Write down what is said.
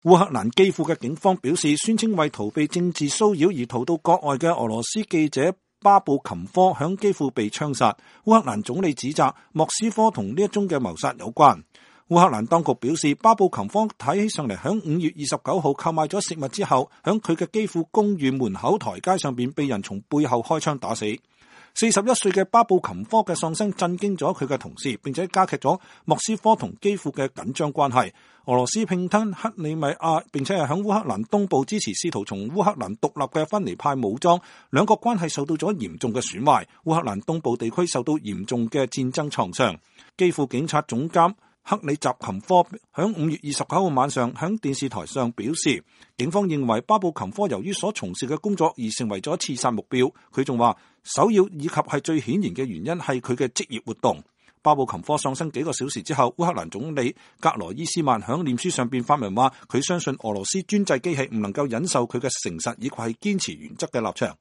烏克蘭基輔嘅警方表示，宣稱為逃避政治騷擾而逃到國外嘅俄羅斯記者巴布琴科響基輔被槍殺。烏克蘭總理指責莫斯科同呢一宗嘅謀殺有關。烏克蘭當局表示，巴布琴科睇起上嚟響5月29號購買咗食物之後，響佢嘅基輔公寓門口台階上邊被人從背後開槍打死。41歲嘅巴布琴科嘅喪生震驚咗佢嘅同事，並且加劇咗莫斯科同基輔嘅緊張關係。俄羅斯併吞克里米亞，並且係響烏克蘭東部支持試圖從烏克蘭獨立嘅分離派武裝，兩國關係受到咗嚴重嘅損壞。烏克蘭東部地區受到嚴重嘅戰爭創傷。基輔警察總監克里扎琴科響5月29號晚上響電視台上表示，警方認為巴布琴科由於所從事嘅工作而成為咗刺殺目標。佢仲話，首要以及係最顯然嘅原因係佢嘅職業活動。巴布琴科喪生幾個小時之後，烏克蘭總理格羅伊斯曼響臉書上邊發文話，佢相信俄羅斯專制機器唔能夠忍受佢嘅誠實以及係堅持原則嘅立場。